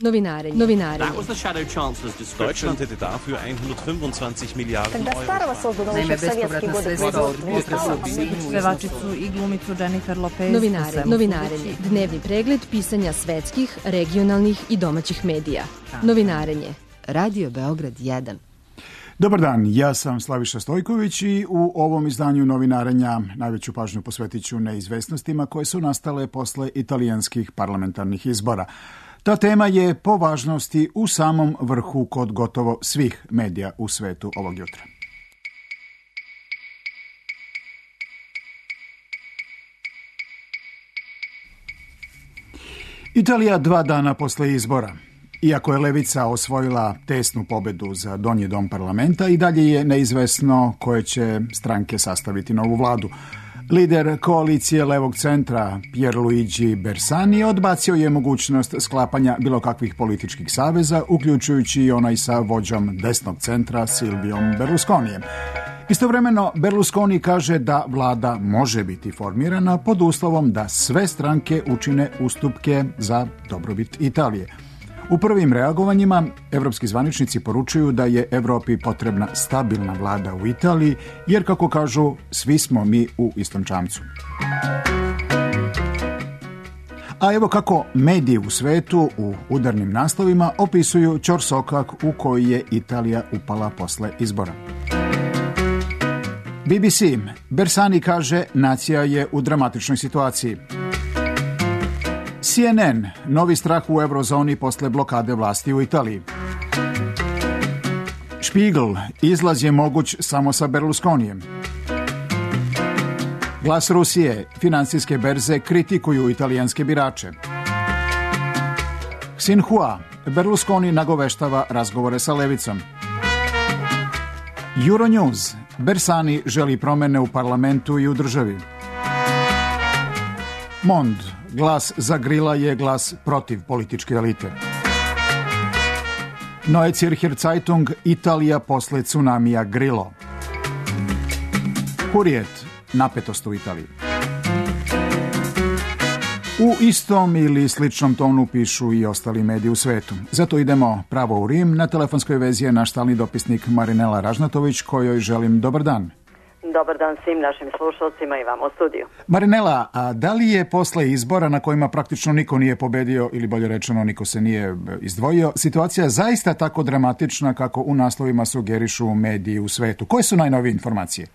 Novinarenje. Deutschland hätte dafür 125 Milijarden Euro. Naime, bespovratna sredstva od pevačicu i glumicu Jennifer Lopez. Novinarenje. Dnevni pregled pisanja svetskih, regionalnih i domaćih medija. Novinarenje. Radio Beograd 1. Dobar dan, ja sam Slaviša Stojković i u ovom izdanju novinarenja najveću pažnju posvetit ću neizvesnostima koje su nastale posle italijanskih parlamentarnih izbora. Ta tema je po važnosti u samom vrhu kod gotovo svih medija u svetu ovog jutra. Italija 2 dana posle izbora. Iako je levica osvojila tesnu pobedu za donji dom parlamenta, i dalje je neizvesno koje će stranke sastaviti novu vladu. Lider koalicije levog centra Pierluigi Bersani odbacio je mogućnost sklapanja bilo kakvih političkih saveza, uključujući i onaj sa vođom desnog centra Silviom Berlusconijem. Istovremeno, Berlusconi kaže da vlada može biti formirana pod uslovom da sve stranke učine ustupke za dobrobit Italije. U prvim reagovanjima evropski zvaničnici poručuju da je Evropi potrebna stabilna vlada u Italiji, jer, kako kažu, svi smo mi u istom čamcu. A evo kako mediji u svetu u udarnim naslovima opisuju ćorsokak u koji je Italija upala posle izbora. BBC. Bersani kaže nacija je u dramatičnoj situaciji. CNN. Novi strah u eurozoni posle blokade vlasti u Italiji. Spiegel. Izlaz je moguć samo sa Berlusconijem. Glas Rusije. Finansijske berze kritikuju italijanske birače. Xinhua. Berlusconi nagoveštava razgovore sa levicom. Euronews. Bersani želi promene u parlamentu i u državi. Mond. Glas za Grila je glas protiv političke elite. Neue Zürcher Zeitung. Italija posle tsunamija Grillo. Hurrijet. Napetost u Italiji. U istom ili sličnom tonu pišu i ostali mediji u svetu. Zato idemo pravo u Rim. Na telefonskoj vezi je naš stalni dopisnik Marinela Ražnatović, kojoj želim dobar dan. Dobar dan svim našim slušalcima i vam u studiju. Marinela, a da li je posle izbora na kojima praktično niko nije pobedio, ili bolje rečeno niko se nije izdvojio, situacija zaista tako dramatična kako u naslovima sugerišu mediji u svetu? Koje su najnovije informacije?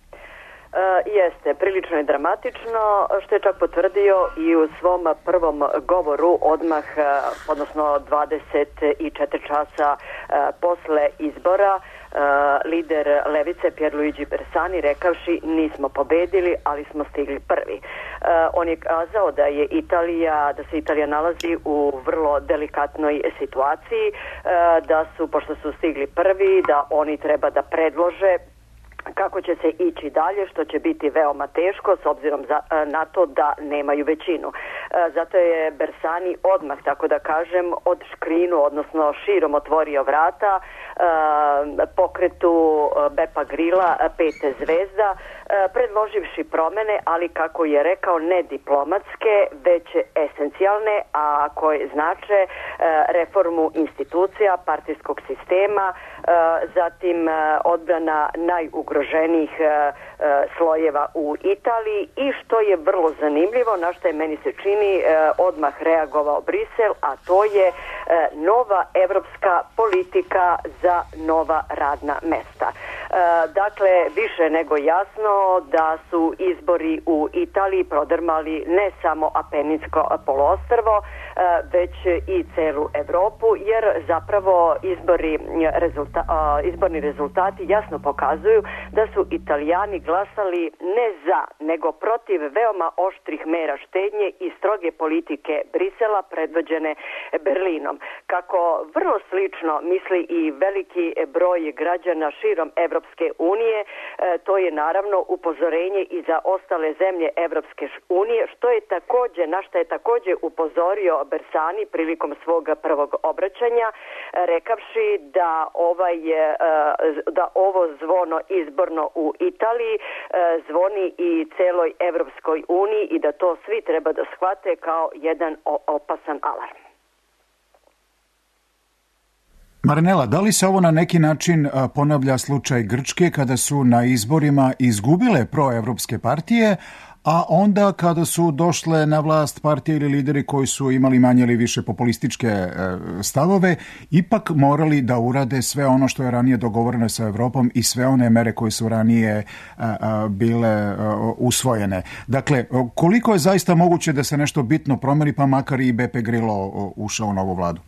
Jeste, prilično je dramatično, što je čak potvrdio i u svom prvom govoru odmah, odnosno 24 časa posle izbora, lider levice Pierluigi Bersani rekavši nismo pobedili, ali smo stigli prvi. On je kazao da se Italija nalazi u vrlo delikatnoj situaciji, da su, pošto su stigli prvi, da oni treba da predlože kako će se ići dalje, što će biti veoma teško s obzirom na to da nemaju većinu. Zato je Bersani odmah, tako da kažem, od škrinu, odnosno širom otvorio vrata pokretu Bepa Grilla 5 zvezda, predloživši promene, ali kako je rekao, ne diplomatske, već esencijalne, a koje znače reformu institucija, partijskog sistema, zatim odbrana najugroženijih slojeva u Italiji i što je vrlo zanimljivo, na što je meni se čini odmah reagovao Brisel, a to je nova evropska politika za nova radna mesta. Dakle, više nego jasno da su izbori u Italiji prodrmali ne samo Apeninsko poluostrvo, već i celu Evropu, jer zapravo izborni rezultati jasno pokazuju da su Italijani glasali ne za, nego protiv veoma oštrih mera štednje i stroge politike Brisela predvođene Berlinom. Kako vrlo slično misli i veliki broj građana širom Evropske unije, to je naravno upozorenje i za ostale zemlje Evropske unije, na što je također upozorio Bersani prilikom svog prvog obraćanja, rekavši da ovo zvono izborno u Italiji zvoni i celoj Evropskoj uniji i da to svi treba da shvate kao jedan opasan alarm. Marinela, da li se ovo na neki način ponavlja slučaj Grčke kada su na izborima izgubile proevropske partije, a onda kada su došle na vlast partije ili lideri koji su imali manje ili više populističke stavove, ipak morali da urade sve ono što je ranije dogovoreno sa Evropom i sve one mere koje su ranije bile usvojene. Dakle, koliko je zaista moguće da se nešto bitno promeni, pa makar i Beppe Grillo ušao u novu vladu?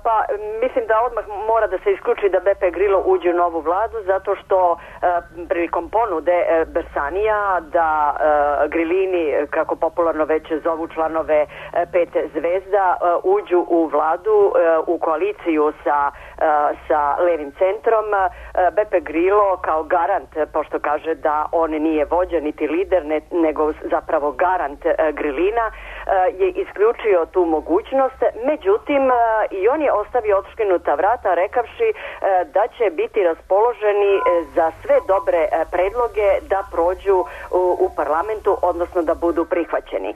Pa mislim da odmah mora da se isključi da Beppe Grillo uđe u novu vladu, zato što prilikom ponude Bersanija da Grillini, kako popularno već zovu članove Pet zvezda, uđu u vladu, u koaliciju sa levim centrom, Beppe Grillo kao garant, pošto kaže da on nije vođa niti lider, nego zapravo garant Grillina, je isključio tu mogućnost. Međutim, i on je ostavio otškinuta vrata rekavši da će biti raspoloženi za sve dobre predloge da prođu u parlamentu, odnosno da budu prihvaćeni.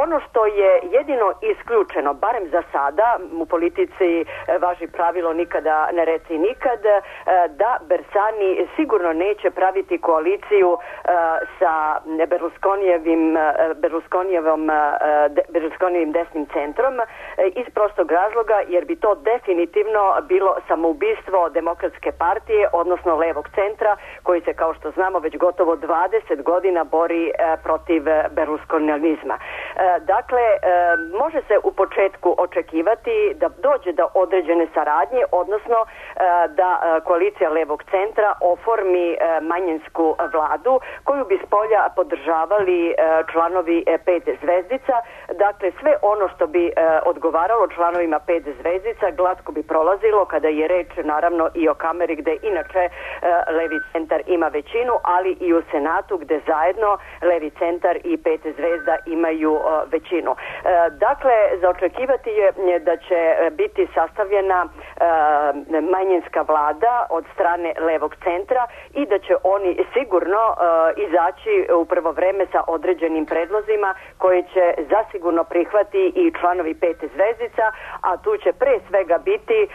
Ono što je jedino isključeno, barem za sada, u politici važi pravilo nikada ne reci nikad, da Bersani sigurno neće praviti koaliciju sa Berlusconijevim desnim centrom iz prostog razloga jer bi to definitivno bilo samoubistvo Demokratske partije, odnosno levog centra, koji se, kao što znamo, već gotovo 20 godina bori protiv berlusconijanizma. Dakle, može se u početku očekivati da dođe do određene saradnje, odnosno da koalicija levog centra oformi manjinsku vladu koju bi spolja podržavali članovi Pet zvezdica. Dakle, sve ono što bi odgovaralo članovima Pet zvezdica glatko bi prolazilo kada je reč naravno i o Kameri gde inače levi centar ima većinu, ali i u Senatu gde zajedno levi centar i Pet zvezda imaju većinu. Dakle, za očekivati je da će biti sastavljena manjinska vlada od strane levog centra i da će oni sigurno izaći u prvo vreme sa određenim predlozima koje će zasigurno prihvati i članovi Pet zvezdica, a tu će pre svega biti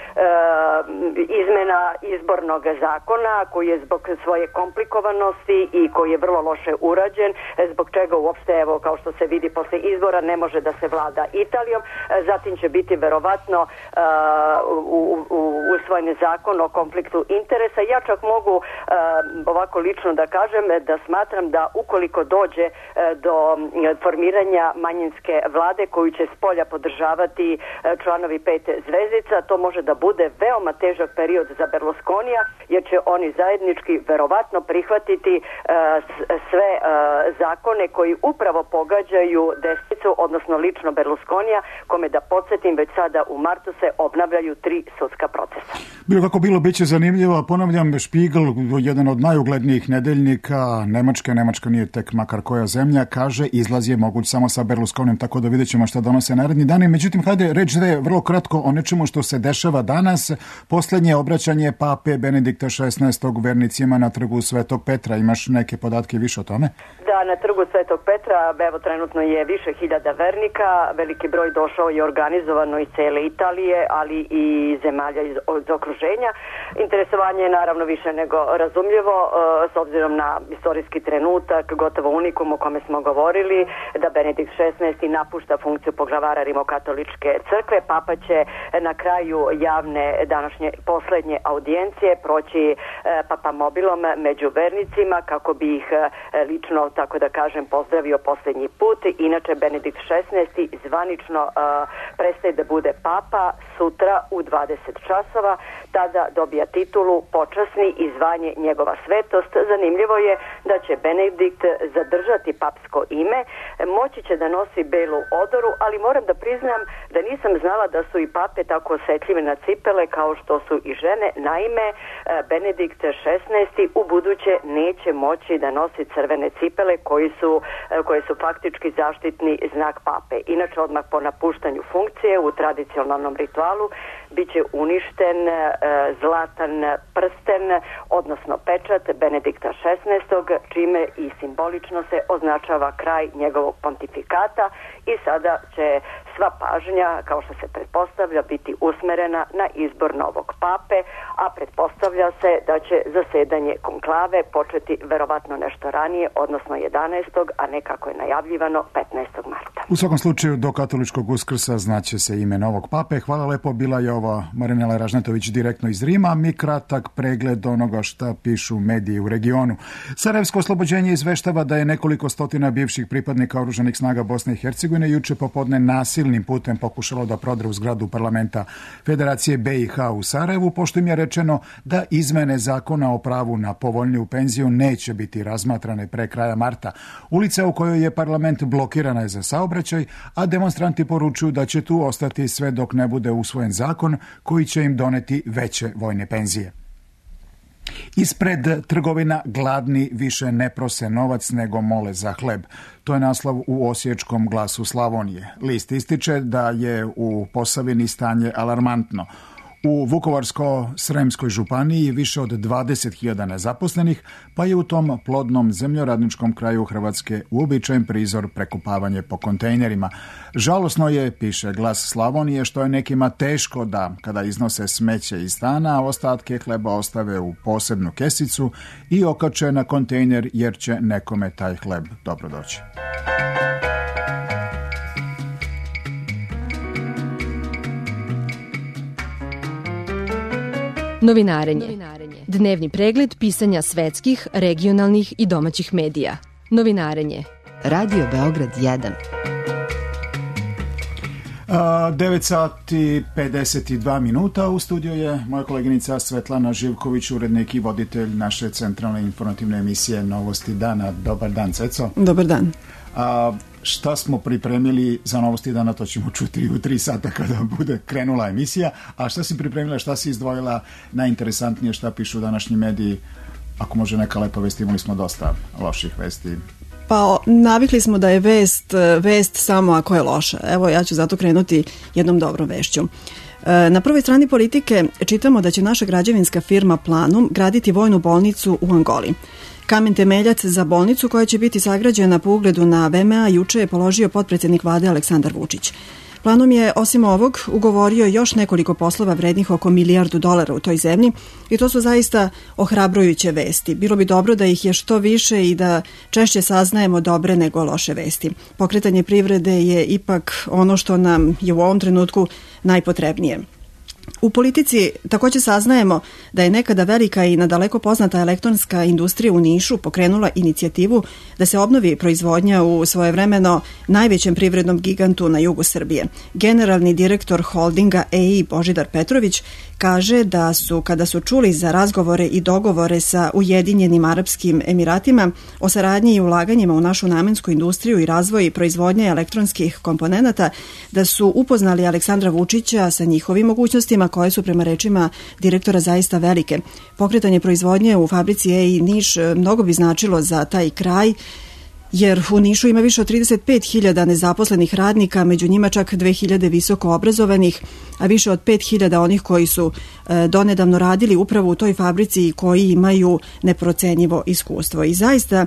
izmena izbornog zakona koji je zbog svoje komplikovanosti i koji je vrlo loše urađen, zbog čega uopšte, evo, kao što se vidi posle izbora, ne može da se vlada Italijom. Zatim će biti verovatno usvojen zakon o konfliktu interesa. Ja čak mogu ovako lično da kažem da smatram da ukoliko dođe do formiranja manjinske vlade koju će spolja podržavati članovi Pet zvezdica, to može da bude veoma težak period za Berlusconija, jer će oni zajednički verovatno prihvatiti sve zakone koji upravo pogađaju desnicu, odnosno lično Berlusconija, kome, da podsjetim, već sada u martu se obnavljaju 3 sudska procesa. Bilo kako bilo, bit će zanimljivo. Ponavljam, Spiegel, jedan od najuglednijih nedeljnika Nemačka nije tek makar koja zemlja, kaže izlaz je moguć samo sa Berlusconijem, tako da vidjet ćemo šta donose naredni dani. Međutim, hajde reći vrlo kratko o nečemu što se dešava danas. Poslednje obraćanje pape Benedikta XVI vernicima na trgu Svetog Petra. Imaš neke podatke više o tome? Da, na trgu Svetog Petra, evo, trenutno je više hiljada vernika, veliki broj došao i organizovano iz cele Italije, ali i zemalja iz okruženja. Interesovanje je naravno više nego razumljivo, s obzirom na istorijski trenutak, gotovo unikum o kome smo govorili, da Benedikt XVI napušta funkciju poglavara Rimokatoličke crkve. Papa će na kraju javne današnje poslednje audijencije proći papamobilom među vernicima kako bi ih lično, tako da kažem, pozdravio posljednji put. Inače, Benedikt XVI zvanično prestaje da bude papa sutra u 20 časova. Tada dobija titulu počasni i zvanje njegova svetost. Zanimljivo je da će Benedikt zadržati papsko ime, moći će da nosi belu odoru, ali moram da priznam da nisam znala da su i pape tako osetljive na cipele kao što su i žene. Naime, Benedikt XVI u buduće neće moći da nosi crvene cipele koje su faktički zaštitni znak pape. Inače, odmah po napuštanju funkcije u tradicionalnom ritualu portalu biće uništen zlatan prsten, odnosno pečat Benedikta XVI, čime i simbolično se označava kraj njegovog pontifikata i sada će sva pažnja, kao što se pretpostavlja, biti usmerena na izbor novog pape, a pretpostavlja se da će zasedanje konklave početi verovatno nešto ranije, odnosno 11. a ne kako je najavljivano 15. marta. U svakom slučaju, do katoličkog Uskrsa znaće se ime novog pape. Hvala lepo, bila je ova Marinela Ražnatović direktno iz Rima. Mi kratak pregled onoga šta pišu mediji u regionu. Sarajevsko oslobođenje izveštava da je nekoliko stotina bivših pripadnika oružanih snaga Bosne i Hercegovine juče popodne nasilnim putem pokušalo da prodre u zgradu parlamenta Federacije BiH u Sarajevu, pošto im je rečeno da izmene zakona o pravu na povoljniju penziju neće biti razmatrane pre kraja marta. Ulica u kojoj je parlament blokirana je za saobraćaj, a demonstranti poručuju da će tu ostati sve dok ne bude usvojen zakon koji će im doneti veće vojne penzije. Ispred trgovina gladni više ne prose novac nego mole za hleb. To je naslov u Osječkom Glasu Slavonije. List ističe da je u Posavini stanje alarmantno. U Vukovarsko-Sremskoj županiji više od 20.000 nezaposlenih, pa je u tom plodnom zemljoradničkom kraju Hrvatske uobičajen prizor prekopavanje po kontejnerima. Žalosno je, piše Glas Slavonije, što je nekima teško da, kada iznose smeće iz stana, ostatke hleba ostave u posebnu kesicu i okače na kontejner jer će nekome taj hleb dobro doći. Novinarenje. Dnevni pregled pisanja svetskih, regionalnih i domaćih medija. Novinarenje. Radio Beograd 1. 9 sati 52 minuta. U studiju je moja koleginica Svetlana Živković, urednik i voditelj naše centralne informativne emisije Novosti dana. Dobar dan, Ceco. Dobar dan. Šta smo pripremili za Novosti dana, to ćemo čuti u 3 sata kada bude krenula emisija. A šta si pripremila, šta si izdvojila najinteresantnije, šta pišu današnji mediji? Ako može neka lepa vest, imali smo dosta loših vesti. Pa navikli smo da je vest samo ako je loša. Evo, ja ću zato krenuti jednom dobrom vešću. Na prvoj strani Politike čitamo da će naša građevinska firma Planum graditi vojnu bolnicu u Angoli. Kamen temeljac za bolnicu koja će biti sagrađena po ugledu na VMA juče je položio potpredsjednik vlade Aleksandar Vučić. Planum je osim ovog ugovorio još nekoliko poslova vrednih oko $1 milijardu u toj zemlji i to su zaista ohrabrujuće vesti. Bilo bi dobro da ih je što više i da češće saznajemo dobre nego loše vesti. Pokretanje privrede je ipak ono što nam je u ovom trenutku najpotrebnije. U Politici također saznajemo da je nekada velika i nadaleko poznata elektronska industrija u Nišu pokrenula inicijativu da se obnovi proizvodnja u svojevremeno najvećem privrednom gigantu na jugu Srbije. Generalni direktor holdinga EI Božidar Petrović kaže da su, kada su čuli za razgovore i dogovore sa Ujedinjenim Arapskim Emiratima o saradnji i ulaganjima u našu namensku industriju i razvoj i proizvodnje elektronskih komponenata, da su upoznali Aleksandra Vučića sa njihovim mogućnostima koje su prema rečima direktora zaista velike. Pokretanje proizvodnje u fabrici EI Niš mnogo bi značilo za taj kraj, jer u Nišu ima više od 35.000 nezaposlenih radnika, među njima čak 2.000 visoko obrazovanih, a više od 5.000 onih koji su donedavno radili upravo u toj fabrici i koji imaju neprocenjivo iskustvo. I zaista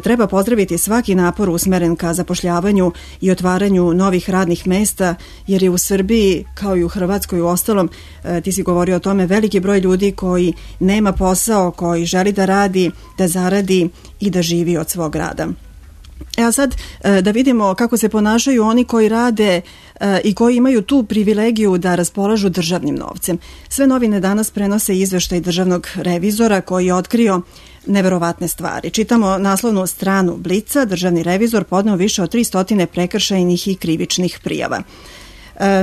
treba pozdraviti svaki napor usmeren ka zapošljavanju i otvaranju novih radnih mesta, jer je u Srbiji, kao i u Hrvatskoj u ostalom, ti si govorio o tome, veliki broj ljudi koji nema posao, koji želi da radi, da zaradi i da živi od svog rada. A sad da vidimo kako se ponašaju oni koji rade i koji imaju tu privilegiju da raspolažu državnim novcem. Sve novine danas prenose izveštaj državnog revizora koji je otkrio neverovatne stvari. Čitamo naslovnu stranu Blica, državni revizor podneo više od 300 prekršajnih i krivičnih prijava.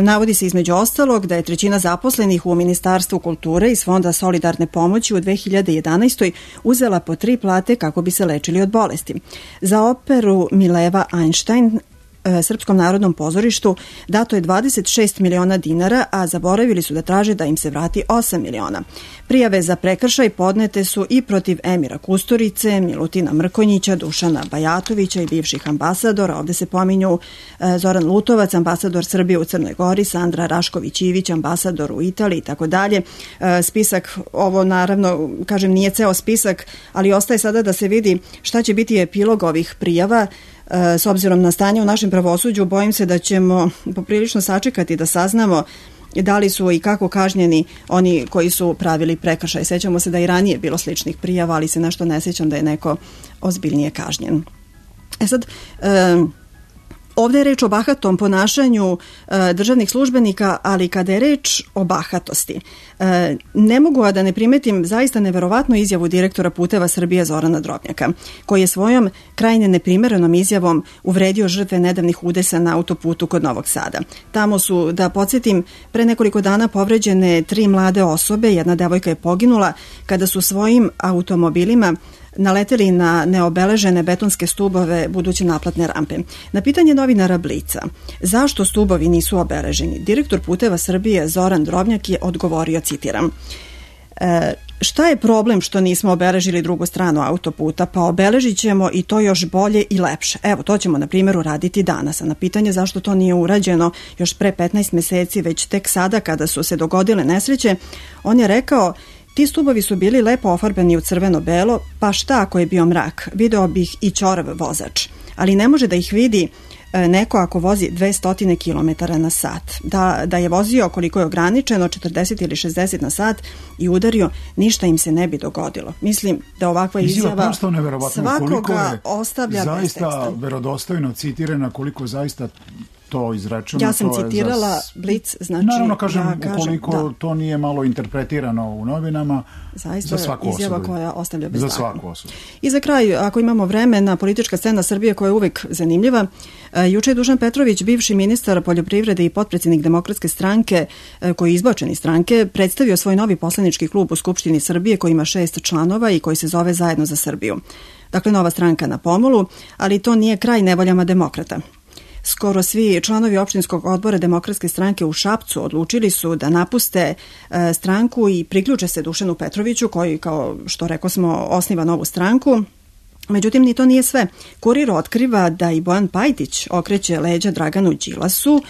Navodi se između ostalog da je 1/3 zaposlenih u Ministarstvu kulture iz Fonda solidarne pomoći u 2011. uzela po 3 plate kako bi se lečili od bolesti. Za operu Mileva Einstein Srpskom narodnom pozorištu dato je 26 miliona dinara, a zaboravili su da traže da im se vrati 8 miliona. Prijave za prekršaj podnete su i protiv Emira Kusturice, Milutina Mrkonjića, Dušana Bajatovića i bivših ambasadora. Ovde se pominju Zoran Lutovac, ambasador Srbije u Crnoj Gori, Sandra Rašković-Ivić, ambasador u Italiji i tako dalje. Spisak, ovo naravno, kažem, nije ceo spisak, ali ostaje sada da se vidi šta će biti epilog ovih prijava. S obzirom na stanje u našem pravosuđu, bojim se da ćemo poprilično sačekati da saznamo da li su i kako kažnjeni oni koji su pravili prekršaj. Sećamo se da i ranije bilo sličnih prijava, ali se nešto ne sećam da je neko ozbiljnije kažnjen. Sad, ovdje je reč o bahatom ponašanju državnih službenika, ali kada je reč o bahatosti, ne mogu a da ne primetim zaista neverovatnu izjavu direktora Puteva Srbije Zorana Drobnjaka, koji je svojom krajne neprimerenom izjavom uvredio žrtve nedavnih udesa na autoputu kod Novog Sada. Tamo su, da podsjetim, pre nekoliko dana povređene 3 mlade osobe, jedna devojka je poginula kada su svojim automobilima naleteli na neobeležene betonske stubove buduće naplatne rampe. Na pitanje novinara Blica, zašto stubovi nisu obeleženi, direktor Puteva Srbije Zoran Drobnjak je odgovorio, citiram, šta je problem što nismo obeležili drugu stranu autoputa? Pa obeležit ćemo i to još bolje i lepše. Evo, to ćemo na primjer uraditi danas. A na pitanje zašto to nije urađeno još pre 15 meseci, već tek sada kada su se dogodile nesreće, on je rekao: ti stubovi su bili lepo ofarbeni u crveno-belo, pa šta ako je bio mrak? Video bih i ćorav vozač. Ali ne može da ih vidi neko ako vozi 200 km na sat. Da je vozio koliko je ograničeno, 40 ili 60 na sat i udario, ništa im se ne bi dogodilo. Mislim da ovakva izjava svakoga ostavlja bez teksta. Zaista verodostojno citirana, koliko zaista to izrečeno. Ja sam citirala Blic, znači... Naravno, kažem, ukoliko to nije malo interpretirano u novinama, zaista za svaku izjava osudu. koja ostavlja bez Za takva. svaku osudu. I za kraj, ako imamo vremena, politička scena Srbije koja je uvek zanimljiva. Juče je Dušan Petrović, bivši ministar poljoprivrede i potpredsjednik Demokratske stranke, koji je izbačen iz stranke, predstavio svoj novi poslanički klub u Skupštini Srbije koji ima 6 članova i koji se zove Zajedno za Srbiju. Dakle, nova stranka na pomolu, ali to nije kraj nevoljama demokrata. Skoro svi članovi opštinskog odbora Demokratske stranke u Šapcu odlučili su da napuste stranku i priključe se Dušanu Petroviću, koji, kao što rekao smo, osniva novu stranku. Međutim, ni to nije sve. Kurir otkriva da i Bojan Pajtić okreće leđa Draganu Đilasu.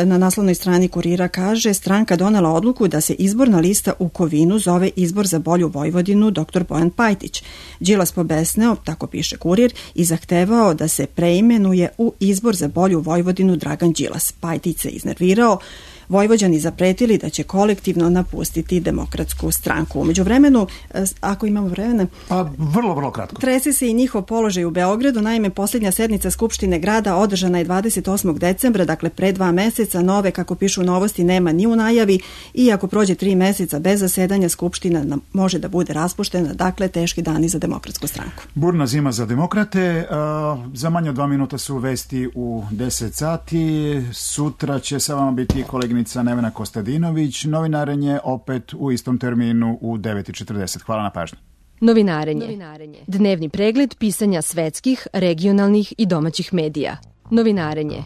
Na naslovnoj strani Kurira kaže: stranka donela odluku da se izborna lista u Kovinu zove Izbor za bolju Vojvodinu dr. Bojan Pajtić. Đilas pobesneo, tako piše Kurir, i zahtevao da se preimenuje u Izbor za bolju Vojvodinu Dragan Đilas. Pajtić se iznervirao, Vojvođani zapretili da će kolektivno napustiti Demokratsku stranku. Umeđu vremenu, ako imamo vremena... Pa vrlo kratko. Trese se i njihov položaj u Beogradu. Naime, posljednja sednica Skupštine grada održana je 28. decembra, dakle pre 2 meseca. Nove, kako pišu novosti, nema ni u najavi i ako prođe 3 meseca bez zasedanja, Skupština može da bude raspuštena. Dakle, teški dani za Demokratsku stranku. Burna zima za demokrate. Za manje od 2 minuta su vesti u 10 sati. Sutra će sa vama biti koleginica Nevena Kostadinović. Novinarenje opet u istom terminu u 9:40. Hvala na pažnji. Novinarenje. Dnevni pregled pisanja svetskih, regionalnih i domaćih medija. Novinarenje.